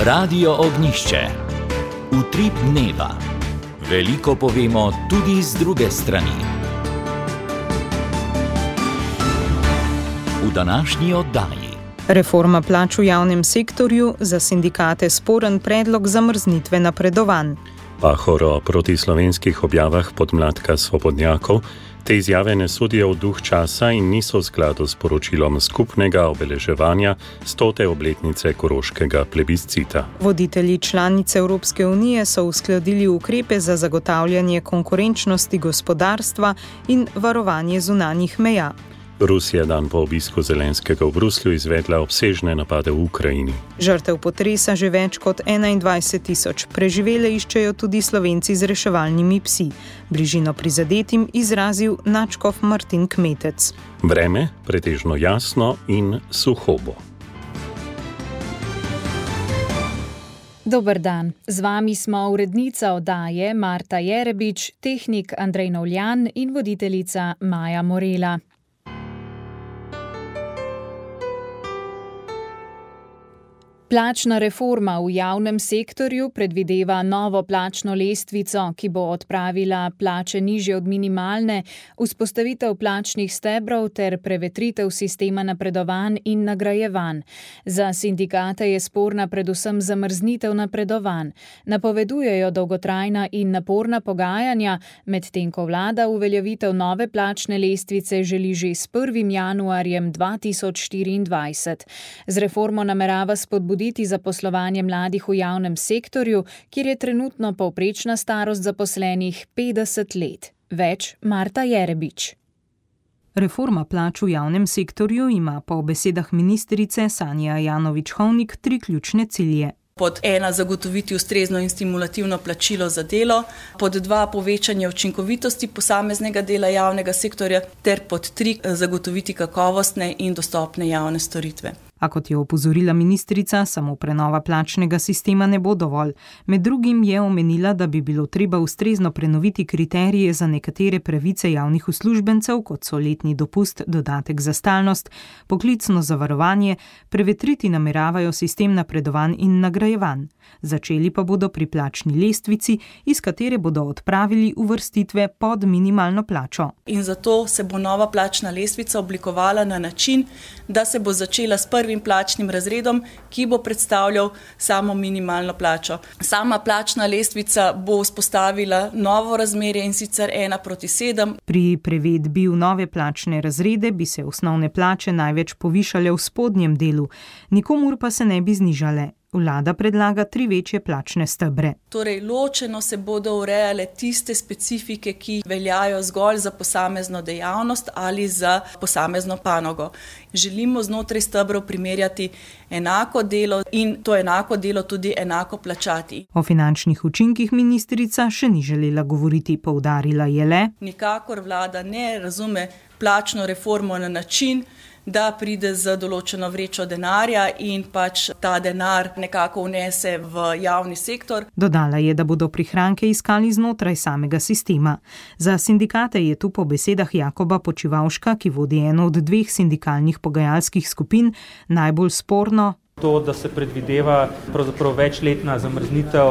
Radio Ognjišče. Utrip dneva. Veliko povemo tudi z druge strani. V današnji oddaji. Reforma plač v javnem sektorju, za sindikate sporen predlog zamrznitve napredovanj. Pahor o protislovenskih objavah podmladka svobodnjakov. Te izjave ne sodijo v duh časa in niso v skladu s poročilom skupnega obeleževanja 100. obletnice koroškega plebiscita. Voditelji članice Evropske unije so uskladili ukrepe za zagotavljanje konkurenčnosti gospodarstva in varovanje zunanjih meja. Rusija dan po obisku Zelenskega v Bruslju izvedla obsežne napade v Ukrajini. Žrtev potresa že več kot 21.000. Preživele iščejo tudi Slovenci z reševalnimi psi. Bližino prizadetim izrazil nadškof Martin Kmetec. Vreme pretežno jasno in suho bo. Dober dan, z vami smo urednica oddaje Marta Jerebič, tehnik Andrej Novljan in voditeljica Maja Morela. Plačna reforma v javnem sektorju predvideva novo plačno lestvico, ki bo odpravila plače nižje od minimalne, vzpostavitev plačnih stebrov ter prevetritev sistema napredovanj in nagrajevanj. Za sindikate je sporna predvsem zamrznitev napredovanj. Napovedujejo dolgotrajna in naporna pogajanja, medtem ko vlada uveljavitev nove plačne lestvice želi že s 1. januarjem 2024. Z reformo namerava spodbuditi zaposlovanje mladih v javnem sektorju, kjer je trenutno povprečna starost zaposlenih 50 let. Več Marta Jerebič. Reforma plač v javnem sektorju ima po besedah ministrice Sanje Ajanović-Hovnik 3 ključne cilje. Pod 1 zagotoviti ustrezno in stimulativno plačilo za delo, pod 2 povečanje učinkovitosti posameznega dela javnega sektorja ter pod 3 zagotoviti kakovostne in dostopne javne storitve. A kot je opozorila ministrica, samo prenova plačnega sistema ne bo dovolj. Med drugim je omenila, da bi bilo treba ustrezno prenoviti kriterije za nekatere pravice javnih uslužbencev, kot so letni dopust, dodatek za stalnost, poklicno zavarovanje, prevetriti nameravajo sistem napredovanj in nagrajevanj. Začeli pa bodo pri plačni lestvici, iz katere bodo odpravili uvrstitve pod minimalno plačo. In zato se bo nova plačna lestvica oblikovala na način, da se bo začela s prvim plačnim razredom, ki bo predstavljal samo minimalno plačo. Sama plačna lestvica bo vzpostavila novo razmerje in sicer 1:7. Pri prevedbi v nove plačne razrede bi se osnovne plače največ povišale v spodnjem delu, nikomur pa se ne bi znižale. Vlada predlaga 3 večje plačne stebre. Torej, ločeno se bodo urejale tiste specifike, ki veljajo zgolj za posamezno dejavnost ali za posamezno panogo. Želimo znotraj stebrov primerjati enako delo in to enako delo tudi enako plačati. O finančnih učinkih ministrica še ni želela govoriti, poudarila je le: nikakor vlada ne razume plačno reformo na način, da pride z določeno vrečo denarja in pač ta denar nekako vnese v javni sektor. Dodala je, da bodo prihranke iskali znotraj samega sistema. Za sindikate je tu po besedah Jakoba Počivavška, ki vodi eno od 2 sindikalnih pogajalskih skupin, najbolj sporno to, da se predvideva pravzaprav večletna zamrznitev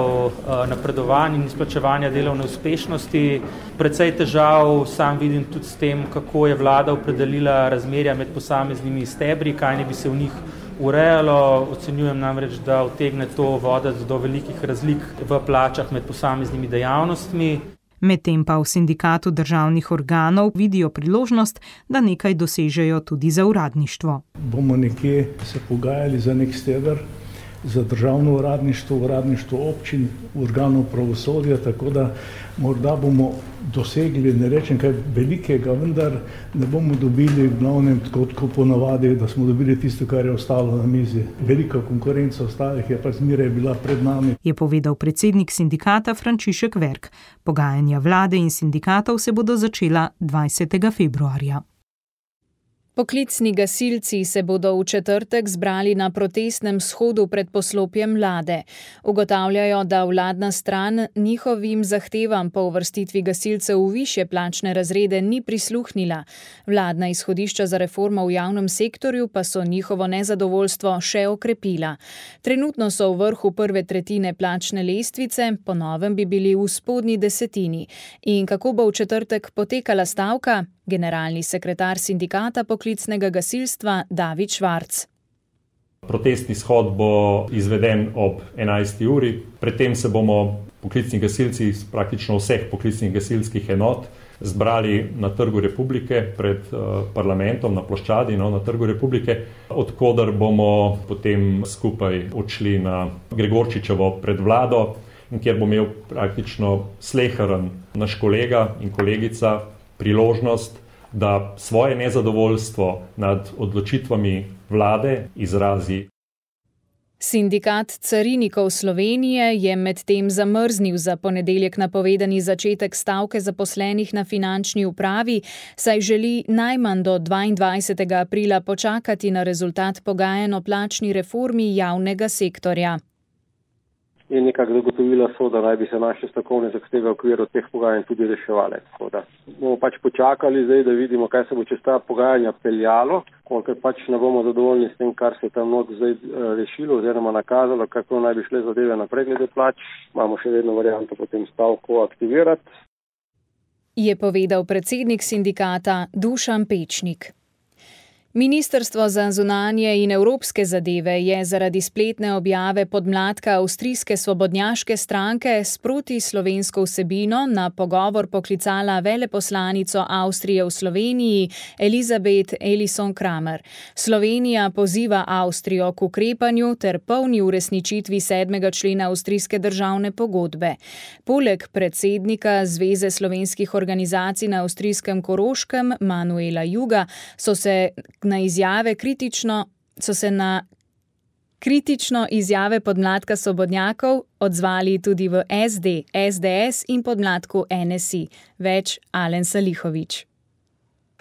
napredovanj in izplačevanja delovne uspešnosti. Precej težav sam vidim tudi s tem, kako je vlada opredelila razmerja med posameznimi stebri, kaj ne bi se v njih urejalo. Ocenjujem namreč, da utegne to voditi do velikih razlik v plačah med posameznimi dejavnostmi. Medtem pa v sindikatu državnih organov vidijo priložnost, da nekaj dosežejo tudi za uradništvo. Bomo nekje se pogajali za nek steber, za državno uradništvo, uradništvo občin, organov pravosodja, tako da morda bomo dosegli, ne rečem kaj velikega, vendar ne bomo dobili v glavnem tako ponavadi, da smo dobili tisto, kar je ostalo na mizi. Velika konkurenca ostalih je pa zmeraj bila pred nami. Je povedal predsednik sindikata Frančišek Verk. Pogajanja vlade in sindikatov se bodo začela 20. februarja. Poklicni gasilci se bodo v četrtek zbrali na protestnem shodu pred poslopjem vlade. Ugotavljajo, da vladna stran njihovim zahtevam po uvrstitvi gasilcev v višje plačne razrede ni prisluhnila. Vladna izhodišča za reformo v javnem sektorju pa so njihovo nezadovoljstvo še okrepila. Trenutno so v vrhu prve tretjine plačne lestvice, po novem bi bili v spodnji desetini. In kako bo v četrtek potekala stavka? Generalni sekretar sindikata poklicnega gasilstva David Švarc. Protestni shod bo izveden ob 11. uri. Predtem se bomo poklicni gasilci iz praktično vseh poklicnih gasilskih enot zbrali na Trgu Republike pred parlamentom, na ploščadi, na Trgu Republike, odkoder bomo potem skupaj odšli na Gregorčičevo pred vlado, kjer bo imel praktično sleheren naš kolega in kolegica priložnost, da svoje nezadovoljstvo nad odločitvami vlade izrazi. Sindikat carinikov Slovenije je medtem zamrznil za ponedeljek napovedani začetek stavke zaposlenih na finančni upravi, saj želi najmanj do 22. aprila počakati na rezultat pogajanj o plačni reformi javnega sektorja. In nekako zagotovila so, da naj bi se naše strokovne zahteve v okviru teh pogajanj tudi reševale. Tako da bomo počakali zdaj, da vidimo, kaj se bo čez ta pogajanja peljalo, kolikor ne bomo zadovoljni s tem, kar se tam not zdaj rešilo oziroma nakazalo, kako naj bi šle zadeve naprej glede plač. Imamo še vedno varianto potem stavko aktivirati. Je povedal predsednik sindikata Dušan Pečnik. Ministrstvo za zunanje in evropske zadeve je zaradi spletne objave podmladka avstrijske svobodnjaške stranke s protislovensko vsebino na pogovor poklicala veleposlanico Avstrije v Sloveniji Elizabeth Ellison-Kramer. Slovenija poziva Avstrijo k ukrepanju ter polni uresničitvi 7. člena avstrijske državne pogodbe. Poleg predsednika Zveze slovenskih organizacij na avstrijskem Koroškem Manuela Juga so se na kritično izjave podmladka svobodnjakov odzvali tudi v SD, SDS in podmladku NSI. Več Alen Salihović.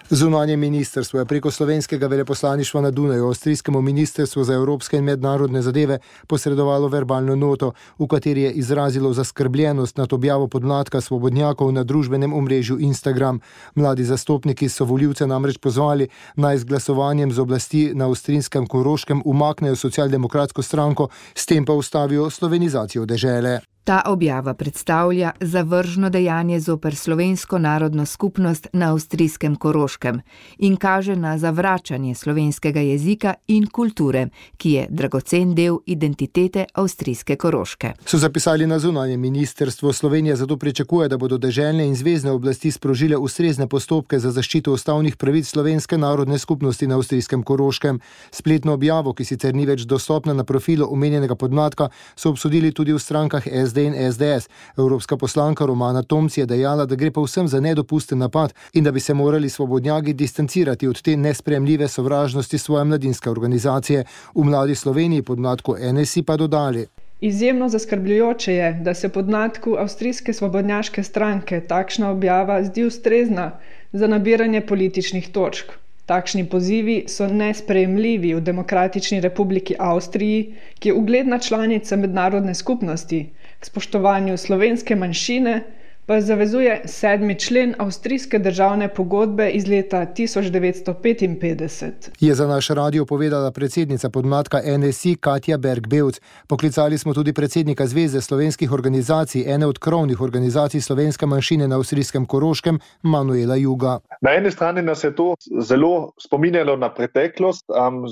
Zunanje ministrstvo je preko slovenskega veleposlaništva na Dunaju avstrijskemu ministrstvu za evropske in mednarodne zadeve posredovalo verbalno noto, v kateri je izrazilo zaskrbljenost nad objavo podmladka svobodnjakov na družbenem omrežju Instagram. Mladi zastopniki so volivce namreč pozvali, naj z glasovanjem z oblasti na avstrijskem Koroškem umaknejo socialdemokratsko stranko, s tem pa ustavijo slovenizacijo dežele. Ta objava predstavlja zavržno dejanje zoper slovensko narodno skupnost na avstrijskem Koroškem in kaže na zavračanje slovenskega jezika in kulture, ki je dragocen del identitete avstrijske Koroške. So zapisali na zunanjem ministrstvu. Slovenija zato pričakuje, da bodo deželne in zvezne oblasti sprožile ustrezne postopke za zaščito ustavnih pravic slovenske narodne skupnosti na avstrijskem Koroškem. Spletno objavo, ki sicer ni več dostopna na profilu omenjenega podmladka, so obsodili tudi v strankah SD in SDS. Evropska poslanka Romana Tomc je dejala, da gre povsem za nedopusten napad in da bi se morali svobodnjaki distancirati od te nesprejemljive sovražnosti svoje mladinske organizacije. V Mladi Sloveniji podmladku NSI pa dodali. Izjemno zaskrbljujoče je, da se podmladku avstrijske svobodnjaške stranke takšna objava zdi ustrezna za nabiranje političnih točk. Takšni pozivi so nesprejemljivi v Demokratični republiki Avstriji, ki je ugledna članica mednarodne skupnosti. K spoštovanju slovenske manjšine pa zavezuje 7. člen avstrijske državne pogodbe iz leta 1955. Je za naš radio povedala predsednica podmladka NSI Katja Berg-Bevc. Poklicali smo tudi predsednika Zveze slovenskih organizacij, ene od krovnih organizacij slovenske manjšine na avstrijskem Koroškem, Manuela Juga. Na eni strani nas je to zelo spominjalo na preteklost,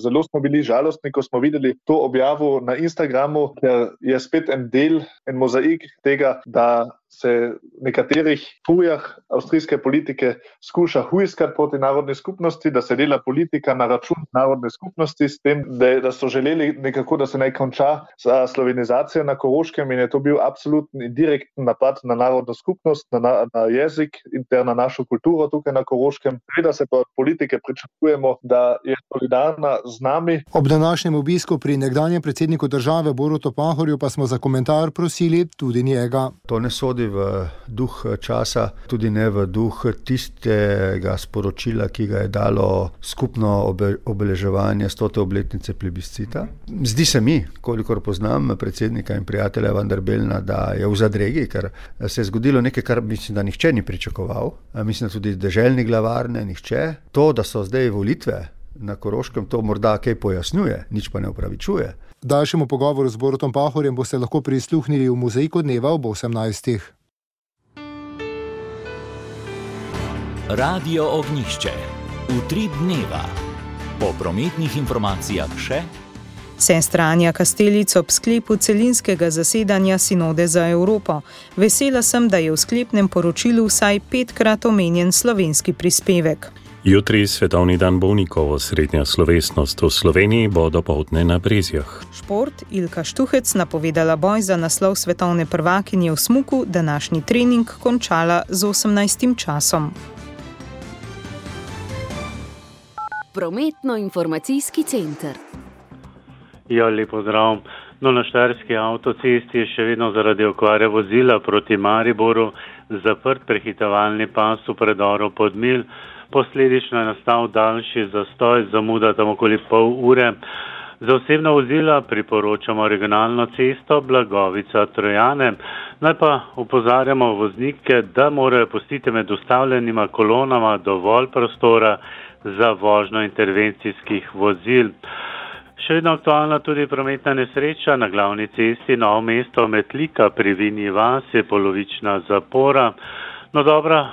zelo smo bili žalostni, ko smo videli to objavo na Instagramu, ker je spet en mozaik tega, da se nekaterih fujah avstrijske politike skuša hujskati proti narodni skupnosti, da se dela politika na račun narodne skupnosti s tem, da so želeli nekako, da se naj konča slovenizacija na Koroškem in je to bil absoluten in direkten napad na narodno skupnost, na jezik in ter na našo kulturo tukaj na Koroškem. Da se pa od politike pričakujemo, da je solidarna z nami. Ob današnjem obisku pri nekdanjem predsedniku države Borutu Pahorju pa smo za komentar prosili tudi njega. To ne sodi sodi v duh časa, tudi ne v duh tistega sporočila, ki ga je dalo skupno obeleževanje 100. obletnice plebiscita. Zdi se mi, kolikor poznam predsednika in prijatelja Vanderbelna, da je v zadregi, ker se je zgodilo nekaj, kar mislim, da nihče ni pričakoval. Mislim, da tudi deželni glavar ne nihče. To, da so zdaj volitve na Koroškem, to morda kaj pojasnjuje, nič pa ne upravičuje. Daljšemu pogovoru z Borutom Pahorjem boste lahko prisluhnili v Mozaiku dneva ob 18. Radio Ognjišče. Utrip dneva. Po prometnih informacijah še Sestra Anja Kastelic ob sklepu celinskega zasedanja Sinode za Evropo. Vesela sem, da je v sklepnem poročilu vsaj 5-krat omenjen slovenski prispevek. Jutri svetovni dan bolnikov, srednja slovesnost v Sloveniji bo dopoldne na Brezjah. Šport, Ilka Štuhec napovedala boj za naslov svetovne prvakinje v smuku, današnji trening končala z 18. časom. Prometno-informacijski center. Ja, lepo zdrav. Na Štajerski avtocesti je še vedno zaradi okvare vozila proti Mariboru zaprt prehitevalni pas v predoru Podmilj. Posledično je nastal daljši zastoj, zamuda tam okoli pol ure. Za osebna vozila priporočamo regionalno cesto Blagovica-Trojane. Naj pa opozarjamo voznike, da morajo pustiti med ustavljenima kolonama dovolj prostora za vožnjo intervencijskih vozil. Še vedno aktualna tudi prometna nesreča na glavni cesti Novo mesto Metlika pri Vinji vasi, polovična zapora. Dobro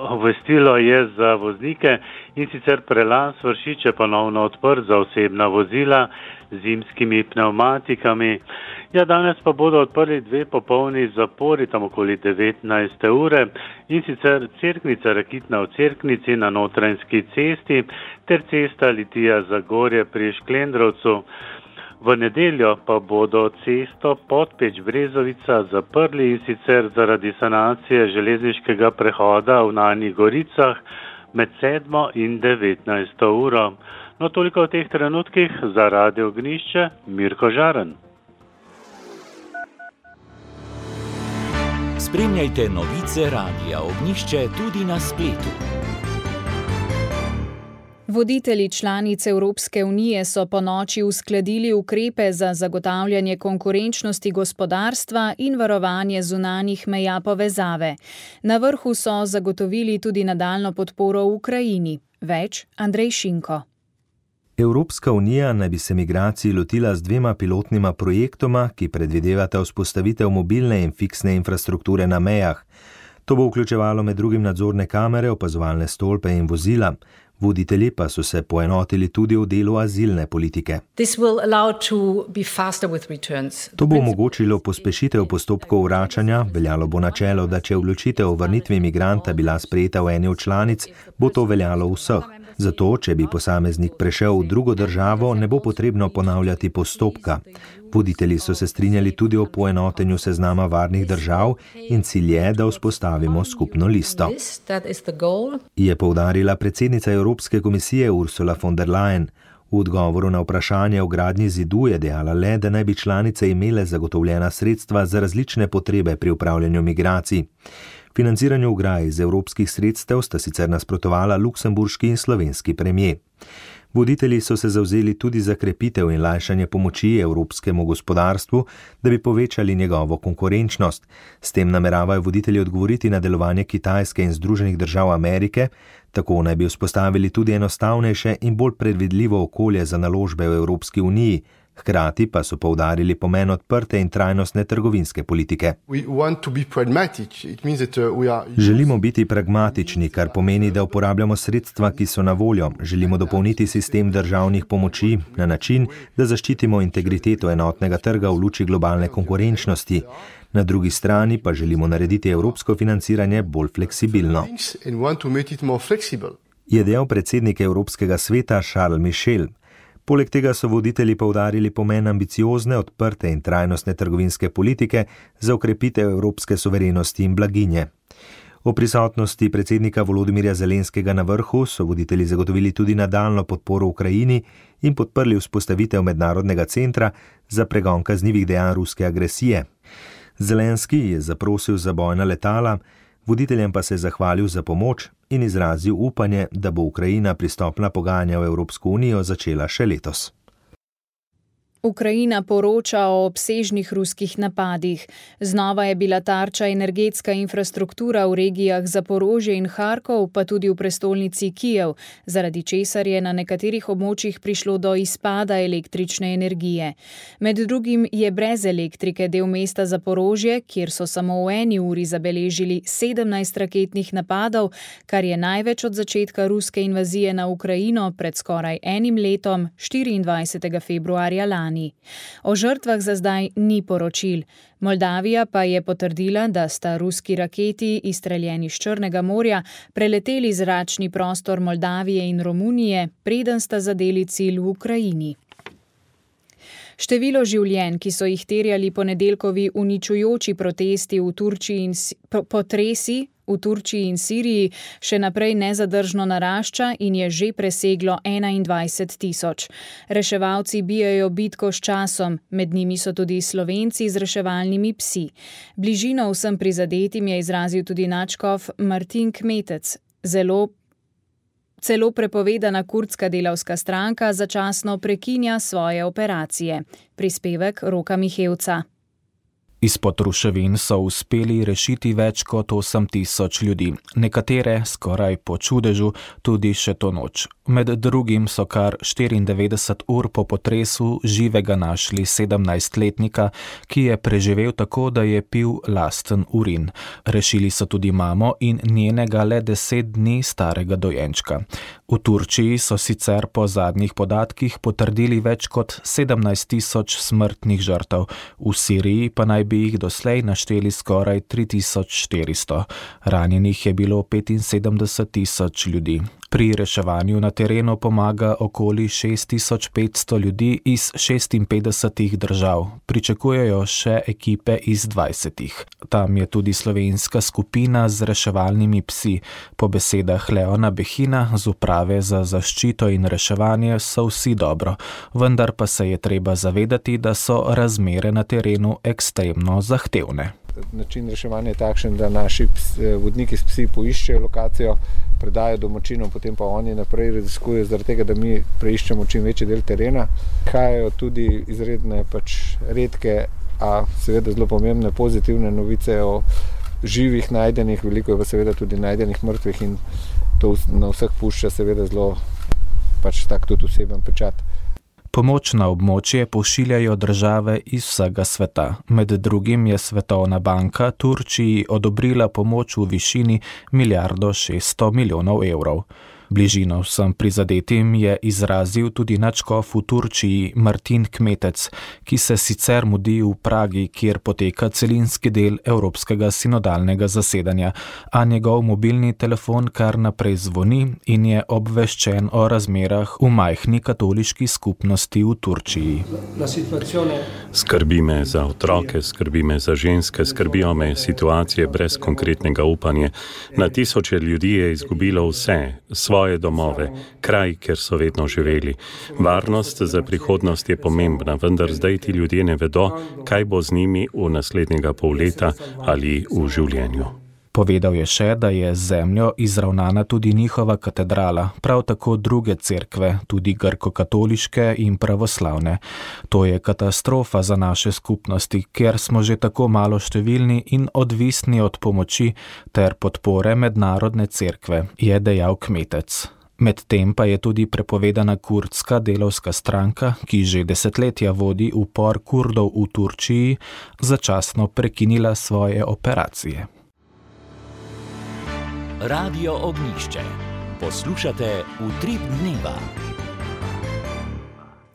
obvestilo je za voznike, in sicer prelaz Vršiče ponovno odprt za osebna vozila z zimskimi pnevmatikami. Ja, danes pa bodo odprli 2 popolni zapori tam okoli 19. ure, in sicer Cerknica Rakitna v Cerknici na Notranjski cesti ter cesta Litija-Zagorje pri Šklendrovcu. V nedeljo pa bodo cesto Podpeč-Brezovica zaprli, in sicer zaradi sanacije železniškega prehoda v Nanjih Goricah med 7. in 19. uro. No, toliko v teh trenutkih. Za Radio Ognjišče, Mirko Žaren. Spremljajte novice Radia Ognjišče tudi na spletu. Voditelji članic Evropske unije so ponoči uskladili ukrepe za zagotavljanje konkurenčnosti gospodarstva in varovanje zunanjih meja povezave. Na vrhu so zagotovili tudi nadaljnjo podporo Ukrajini. Več Andrej Šinko. Evropska unija naj bi se migracij lotila z 2 pilotnima projektoma, ki predvidevata vzpostavitev mobilne in fiksne infrastrukture na mejah. To bo vključevalo med drugim nadzorne kamere, opazovalne stolpe in vozila. Voditelji pa so se poenotili tudi v delu azilne politike. To bo omogočilo pospešitev postopkov vračanja, veljalo bo načelo, da če odločitev o vrnitvi migranta bila sprejeta v eni od članic, bo to veljalo vseh. Zato, če bi posameznik prešel v drugo državo, ne bo potrebno ponavljati postopka. Voditelji so se strinjali tudi o poenotenju seznama varnih držav in cilj je, da vzpostavimo skupno listo. Je poudarila predsednica Evropske komisije Ursula von der Leyen. V odgovoru na vprašanje o gradnji zidu je dejala le, da naj bi članice imele zagotovljena sredstva za različne potrebe pri upravljanju migracij. Financiranju ograj iz evropskih sredstev sta sicer nasprotovala luksemburški in slovenski premier. Voditelji so se zavzeli tudi za krepitev in lajšanje pomoči evropskemu gospodarstvu, da bi povečali njegovo konkurenčnost. S tem nameravajo voditelji odgovoriti na delovanje Kitajske in Združenih držav Amerike, tako naj bi vzpostavili tudi enostavnejše in bolj predvidljivo okolje za naložbe v Evropski uniji. Hkrati pa so poudarili pomen odprte in trajnostne trgovinske politike. Želimo biti pragmatični, kar pomeni, da uporabljamo sredstva, ki so na voljo. Želimo dopolniti sistem državnih pomoči na način, da zaščitimo integriteto enotnega trga v luči globalne konkurenčnosti. Na drugi strani pa želimo narediti evropsko financiranje bolj fleksibilno. Je dejal predsednik Evropskega sveta Charles Michel. Poleg tega so voditelji poudarili pomen ambiciozne, odprte in trajnostne trgovinske politike za okrepitev evropske suverenosti in blaginje. O prisotnosti predsednika Volodimirja Zelenskega na vrhu so voditelji zagotovili tudi nadaljnjo podporo Ukrajini in podprli vzpostavitev mednarodnega centra za pregon kaznivih dejanj ruske agresije. Zelenski je zaprosil za bojna letala, voditeljem pa se je zahvalil za pomoč in izrazil upanje, da bo Ukrajina pristopna pogajanja v Evropsko unijo začela še letos. Ukrajina poroča o obsežnih ruskih napadih. Znova je bila tarča energetska infrastruktura v regijah Zaporožje in Harkov, pa tudi v prestolnici Kijev, zaradi česar je na nekaterih območjih prišlo do izpada električne energije. Med drugim je brez elektrike del mesta Zaporožje, kjer so samo v eni uri zabeležili 17 raketnih napadov, kar je največ od začetka ruske invazije na Ukrajino pred skoraj enim letom, 24. februarja lani. O žrtvah za zdaj ni poročil. Moldavija pa je potrdila, da sta ruski raketi, izstreljeni iz Črnega morja, preleteli zračni prostor Moldavije in Romunije, preden sta zadeli cilj v Ukrajini. Število življenj, ki so jih terjali ponedeljkovi uničujoči protesti v Turčiji in potresi v Turčiji in Siriji, še naprej nezadržno narašča in je že preseglo 21 tisoč. Reševalci bijajo bitko s časom, med njimi so tudi Slovenci z reševalnimi psi. Bližino vsem prizadetim je izrazil tudi nadškof Martin Kmetec. Celo prepovedana kurdska delavska stranka začasno prekinja svoje operacije. Prispevek Roka Mihevca. Izpod ruševin so uspeli rešiti več kot 8 tisoč ljudi, nekatere skoraj po čudežu tudi še to noč. Med drugim so kar 94 ur po potresu živega našli 17-letnika, ki je preživel tako, da je pil lasten urin. Rešili so tudi mamo in njenega le 10 dni starega dojenčka. V Turčiji so sicer po zadnjih podatkih potrdili več kot 17 tisoč smrtnih žrtev, v Siriji pa naj bi jih doslej našteli skoraj 3400. Ranjenih je bilo 75 tisoč ljudi. Pri reševanju na terenu pomaga okoli 6500 ljudi iz 56 držav. Pričakujejo še ekipe iz 20. Tam je tudi slovenska skupina z reševalnimi psi. Po besedah Leona Behina z uprave za zaščito in reševanje so vsi dobro, vendar pa se je treba zavedati, da so razmere na terenu ekstremno zahtevne. Način reševanja je takšen, da naši vodniki s psi poiščejo lokacijo, predajo domačinom, potem pa oni naprej raziskujejo, zaradi tega, da mi preiščemo čim večji del terena. Prihajajo tudi izredne redke, a seveda zelo pomembne pozitivne novice o živih najdenih, veliko je pa seveda tudi najdenih mrtvih in to na vseh pušča seveda zelo tak tudi oseben pečat. Pomoč na območje pošiljajo države iz vsega sveta. Med drugim je Svetovna banka Turčiji odobrila pomoč v višini 1,6 milijarde evrov. Bližino vsem prizadetim je izrazil tudi nadškof v Turčiji Martin Kmetec, ki se sicer mudi v Pragi, kjer poteka celinski del Evropskega sinodalnega zasedanja, a njegov mobilni telefon kar naprej zvoni in je obveščen o razmerah v majhni katoliški skupnosti v Turčiji. Skrbi me za otroke, skrbi me za ženske, skrbijo me situacije brez konkretnega upanja. Na tisoče ljudi je izgubilo vse, svoje domove, kraj, kjer so vedno živeli. Varnost za prihodnost je pomembna, vendar zdaj ti ljudje ne vedo, kaj bo z njimi v naslednjega pol leta ali v življenju. Povedal je še, da je z zemljo izravnana tudi njihova katedrala, prav tako druge cerkve, tudi grko-katoliške in pravoslavne. To je katastrofa za naše skupnosti, ker smo že tako malo številni in odvisni od pomoči ter podpore mednarodne cerkve, je dejal Kmetec. Medtem pa je tudi prepovedana kurdska delavska stranka, ki že desetletja vodi upor Kurdov v Turčiji, začasno prekinila svoje operacije. Radio Ognjišče. Poslušate Utrip dneva.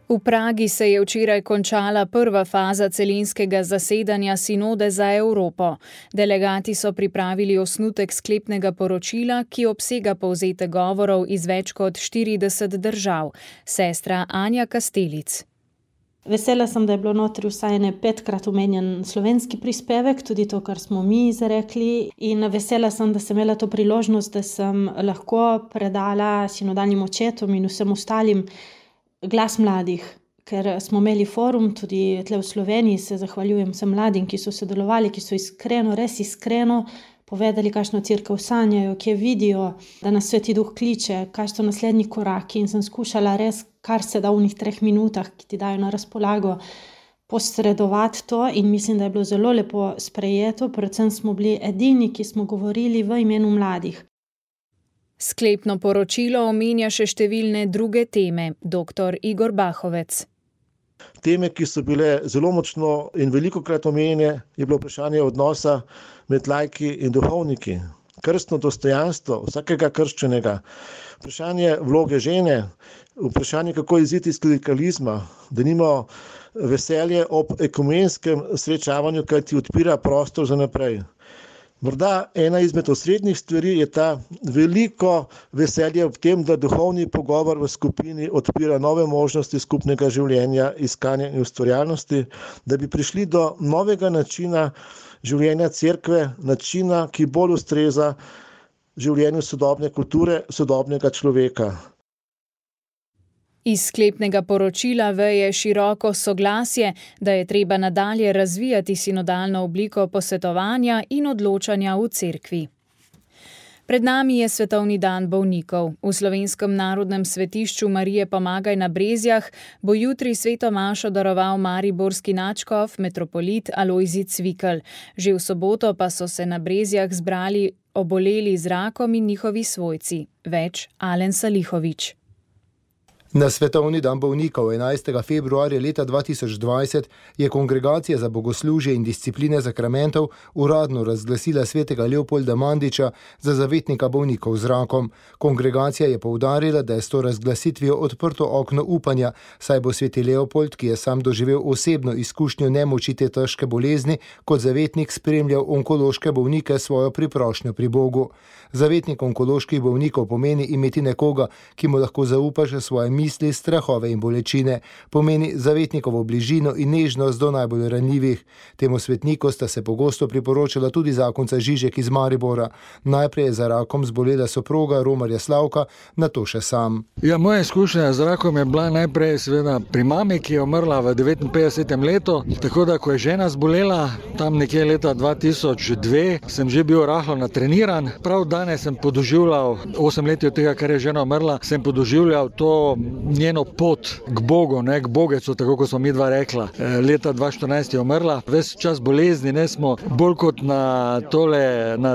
V Pragi se je včeraj končala prva faza celinskega zasedanja Sinode za Evropo. Delegati so pripravili osnutek sklepnega poročila, ki obsega povzetek govorov iz več kot 40 držav. Sestra Anja Kastelic. Vesela sem, da je bilo notri vsaj 5-krat omenjen slovenski prispevek, tudi to, kar smo mi izrekli. In vesela sem, da sem imela to priložnost, da sem lahko predala sinodalnim očetom in vsem ostalim glas mladih, ker smo imeli forum tudi tle v Sloveniji, se zahvaljujem vsem mladim, ki so sodelovali, ki so iskreno, res iskreno povedali, kakšno cerkev sanjajo, kje vidijo, da nas Sveti Duh kliče, kaj so naslednji koraki, in sem skušala res, kar se da v unih 3 minutah, ki ti dajo na razpolago, posredovati to, in mislim, da je bilo zelo lepo sprejeto, predvsem smo bili edini, ki smo govorili v imenu mladih. Sklepno poročilo omenja še številne druge teme, dr. Igor Bahovec. Teme, ki so bile zelo močno in velikokrat omenjene, je bilo vprašanje odnosa med laiki in duhovniki, krstno dostojanstvo vsakega krščenega, vprašanje vloge žene, vprašanje, kako iziti iz klerikalizma, da nimamo veselje ob ekumenskem srečavanju, kaj ti odpira prostor za naprej. Morda ena izmed osrednjih stvari je ta veliko veselje v tem, da duhovni pogovor v skupini odpira nove možnosti skupnega življenja, iskanja in ustvarjalnosti, da bi prišli do novega načina življenja cerkve, načina, ki bolj ustreza življenju sodobne kulture, sodobnega človeka. Iz sklepnega poročila veje široko soglasje, da je treba nadalje razvijati sinodalno obliko posvetovanja in odločanja v cerkvi. Pred nami je Svetovni dan bolnikov. V Slovenskem narodnem svetišču Marije Pomagaj na Brezjah bo jutri sveto mašo daroval mariborski nadškof metropolit Alojzij Cvikl. Že v soboto pa so se na Brezjah zbrali oboleli z rakom in njihovi svojci. Več Alen Salihovič. Na Svetovni dan bolnikov 11. februarja leta 2020 je Kongregacija za bogoslužje in discipline sakramentov uradno razglasila svetega Leopolda Mandiča za zavetnika bolnikov z rakom. Kongregacija je poudarila, da je s to razglasitvijo odprto okno upanja, saj bo sveti Leopold, ki je sam doživel osebno izkušnjo nemoči te težke bolezni, kot zavetnik spremljal onkološke bolnike svojo priprošnjo pri Bogu. Zavetnik onkoloških bolnikov pomeni imeti nekoga, ki mu lahko zaupaš svoje misli, strahove in bolečine, pomeni zavetnikovo bližino in nežnost do najbolj ranljivih. Temu svetniku sta se pogosto priporočala tudi zakonca Žižek iz Maribora. Najprej je za rakom zbolela soproga Romarja Slavka, nato še sam. Moja izkušnja z rakom je bila najprej seveda pri mami, ki je umrla v 59. letu, tako da ko je žena zbolela, tam nekje leta 2002, sem že bil rahlo natreniran. Prav danes sem podoživljal, 8 let od tega, kar je žena umrla, sem podoživljal to njeno pot k Bogu, ne, k Bogecu, tako kot smo mi dva rekla. Leta 2014 je umrla, ves čas bolezni, ne smo bolj kot na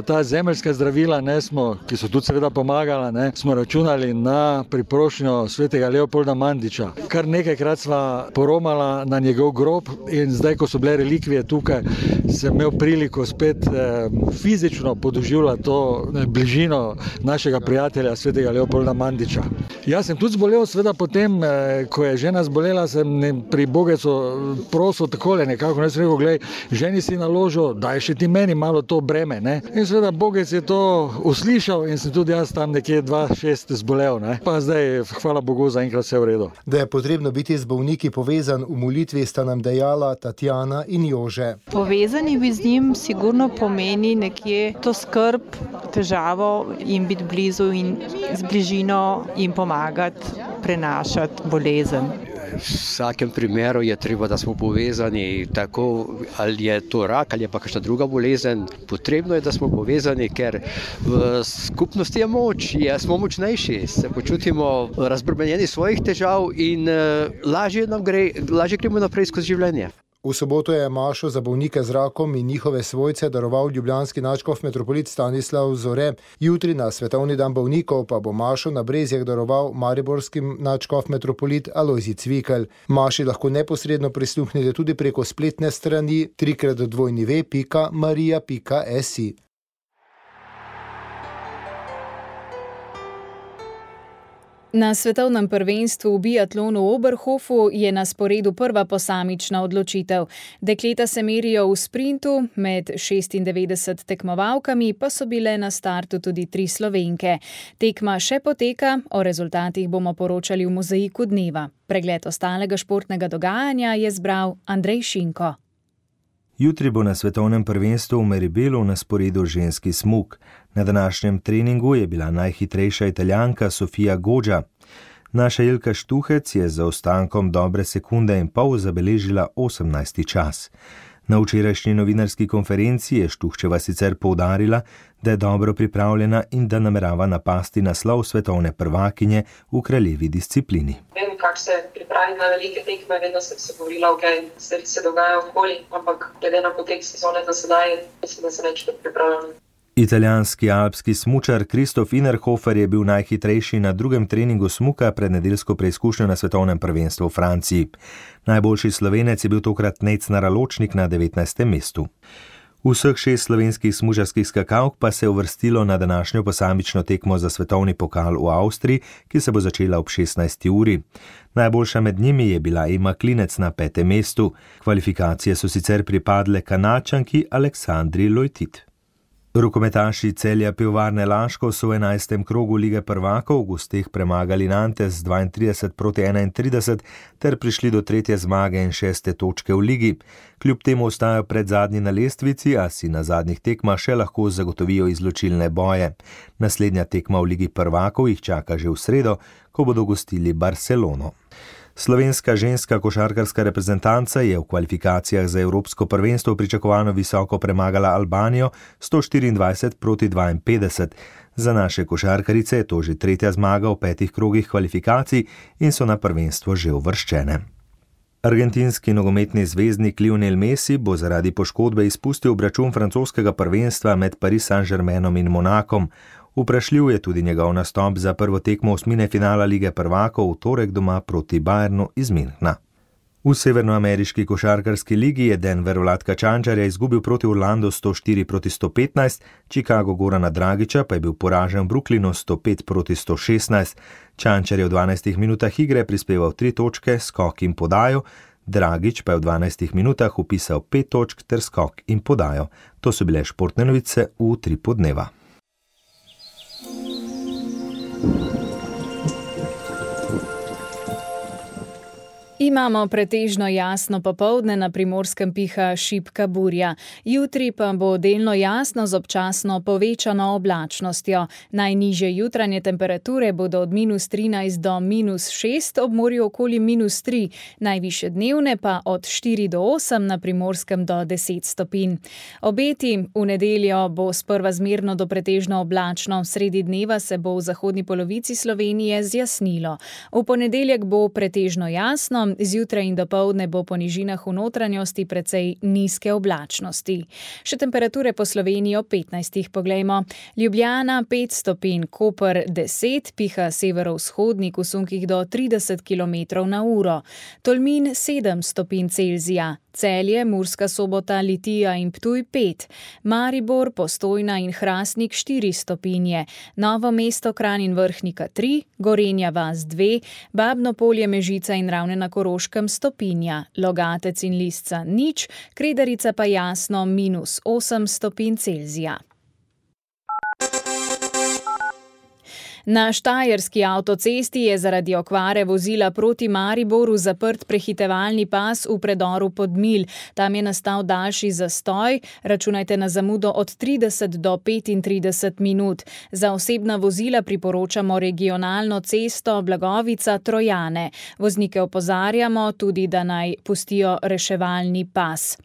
ta zemeljska zdravila, ne smo, ki so tudi seveda pomagala, ne, smo računali na priprošnjo svetega Leopolda Mandiča. Kar nekajkrat sva poromala na njegov grob in zdaj, ko so bile relikvije tukaj, sem imel priliko spet fizično podoživljati to bližino našega prijatelja svetega Leopolda Mandiča. Jaz sem tudi zbolel, seveda potem, ko je žena zbolela, sem pri Bogecu prosil takole nekako, ne sem rekel, glej, ženi si naložil, daj še ti meni malo to breme, ne. In seveda Bogec je to uslišal in sem tudi jaz tam nekje 2-6 zbolel, ne. Pa zdaj, hvala Bogu, zaenkrat vse v redu. Da je potrebno biti z bolniki povezan v molitvi, sta nam dejala Tatjana in Jože. Povezani bi z njim sigurno pomeni nekje to skrb, težavo in biti blizu in z bližino jim pomagati prenašati bolezen. V vsakem primeru je treba, da smo povezani, tako ali je to rak ali je pa kakšna druga bolezen. Potrebno je, da smo povezani, ker v skupnosti je moč, smo močnejši, se počutimo razbremenjeni svojih težav in lažje gremo naprej skozi življenje. V soboto je mašo za bolnike z rakom in njihove svojce daroval ljubljanski nadškof metropolit Stanislav Zore. Jutri na Svetovni dan bolnikov pa bo mašo na Brezjah daroval mariborski nadškof metropolit Alojzij Cvikl. Maši lahko neposredno prisluhnete tudi preko spletne strani www.maria.si. Na svetovnem prvenstvu v biatlonu v Oberhofu je na sporedu prva posamična odločitev. Dekleta se merijo v sprintu, med 96 tekmovalkami pa so bile na startu tudi 3 Slovenke. Tekma še poteka, o rezultatih bomo poročali v Mozaiku dneva. Pregled ostalega športnega dogajanja je zbral Andrej Šinko. Jutri bo na svetovnem prvenstvu v Meribelu na sporedu ženski smuk. Na današnjem treningu je bila najhitrejša Italijanka Sofia Goggia. Naša Ilka Štuhec je za ostankom dobre sekunde in pol zabeležila 18. čas. Na včerajšnji novinarski konferenci je Štuhčeva sicer poudarila, da je dobro pripravljena in da namerava napasti naslov svetovne prvakinje v kraljevi disciplini. Vem, kako se pripravi na velike tekme, vedno sem se govorila, stvari se dogajajo okoli, ampak glede na potek sezone do sedaj, mislim, da se več kot pripravljena. Italijanski alpski smučar Kristof Innerhofer je bil najhitrejši na drugem treningu smuka pred nedeljsko preizkušnjo na svetovnem prvenstvu v Franciji. Najboljši Slovenec je bil tokrat Nejc Naraločnik na 19. mestu. Vseh 6 slovenskih smučarskih skakalk pa se je uvrstilo na današnjo posamično tekmo za svetovni pokal v Avstriji, ki se bo začela ob 16. uri. Najboljša med njimi je bila Ema Klinec na 5. mestu. Kvalifikacije so sicer pripadle Kanačanki Aleksandri Lojtit. Rokometaši Celja Pivovarne Laško so v 11. krogu Lige prvakov v gosteh premagali Nantes z 32-31 ter prišli do 3. zmage in 6. točke v ligi. Kljub temu ostajajo pred zadnji na lestvici, a si na zadnjih tekmah še lahko zagotovijo izločilne boje. Naslednja tekma v Ligi prvakov jih čaka že v sredo, ko bodo gostili Barcelono. Slovenska ženska košarkarska reprezentanca je v kvalifikacijah za evropsko prvenstvo pričakovano visoko premagala Albanijo 124-52. Za naše košarkarice je to že 3. zmaga v 5 krogih kvalifikacij in so na prvenstvo že uvrščene. Argentinski nogometni zvezdnik Lionel Messi bo zaradi poškodbe izpustil obračun francoskega prvenstva med Paris Saint-Germainom in Monakom. Vprašljiv je tudi njegov nastop za prvo tekmo osmine finala Lige prvakov v torek doma proti Bayernu iz Münchna. V severnoameriški košarkarski ligi je Denver Vladka Čančarja izgubil proti Orlandu 104-115, Chicago Gorana Dragića pa je bil poražen v Brooklynu 105-116. Čančar je v 12 minutah igre prispeval 3 točke, skok in podajo, Dragić pa je v 12 minutah vpisal 5 točk ter skok in podajo. To so bile športne novice v Utripu dneva. Imamo pretežno jasno popoldne, na Primorskem piha šibka burja. Jutri pa bo delno jasno z občasno povečano oblačnostjo. Najnižje jutranje temperature bodo od -13 do -6, ob morju okoli -3, najvišje dnevne pa od 4 do 8, na Primorskem do 10 stopinj. Obeti: v nedeljo bo sprva zmerno do pretežno oblačno, sredi dneva se bo v zahodni polovici Slovenije zjasnilo. V ponedeljek bo pretežno jasno, zjutraj in dopoldne bo po nižinah v notranjosti precej nizke oblačnosti. Še temperature po Sloveniji ob 15. poglejmo. Ljubljana 5 stopinj, Koper 10, piha severovzhodnik v sunkih do 30 km/h. Tolmin 7 stopinj Celzija. Celje, Murska Sobota, Litija in Ptuj 5, Maribor, Postojna in Hrastnik 4 stopinje, Novo mesto, Kranj in Vrhnika 3, Gorenja vas 2, Babno Polje, Mežica in Ravne na Koroškem stopinja, Logatec in Lisca 0, Kredarica pa jasno -8 stopinj Celzija. Na štajerski avtocesti je zaradi okvare vozila proti Mariboru zaprt prehitevalni pas v predoru Podmilj. Tam je nastal daljši zastoj, računajte na zamudo od 30 do 35 minut. Za osebna vozila priporočamo regionalno cesto Blagovica-Trojane. Voznike opozarjamo tudi, da naj pustijo reševalni pas.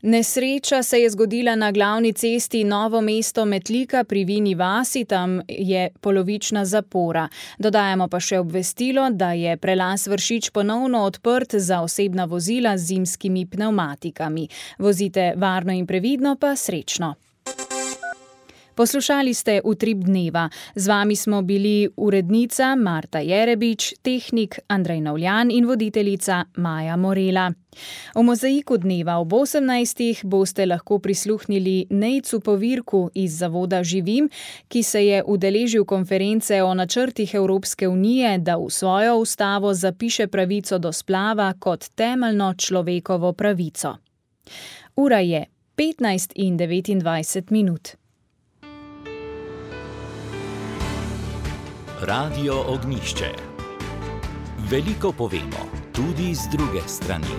Nesreča se je zgodila na glavni cesti Novo mesto-Metlika pri Vini vasi, tam je polovična zapora. Dodajamo pa še obvestilo, da je prelaz Vršič ponovno odprt za osebna vozila z zimskimi pnevmatikami. Vozite varno in previdno, pa srečno. Poslušali ste Utrip dneva. Z vami smo bili urednica Marta Jerebič, tehnik Andrej Navljan in voditeljica Maja Morela. V Mozaiku dneva ob 18. boste lahko prisluhnili Nejcu Povirku iz Zavoda Živim, ki se je udeležil konference o načrtih Evropske unije, da v svojo ustavo zapiše pravico do splava kot temeljno človekovo pravico. Ura je 15:29. Radio Ognjišče. Veliko povemo, tudi z druge strani.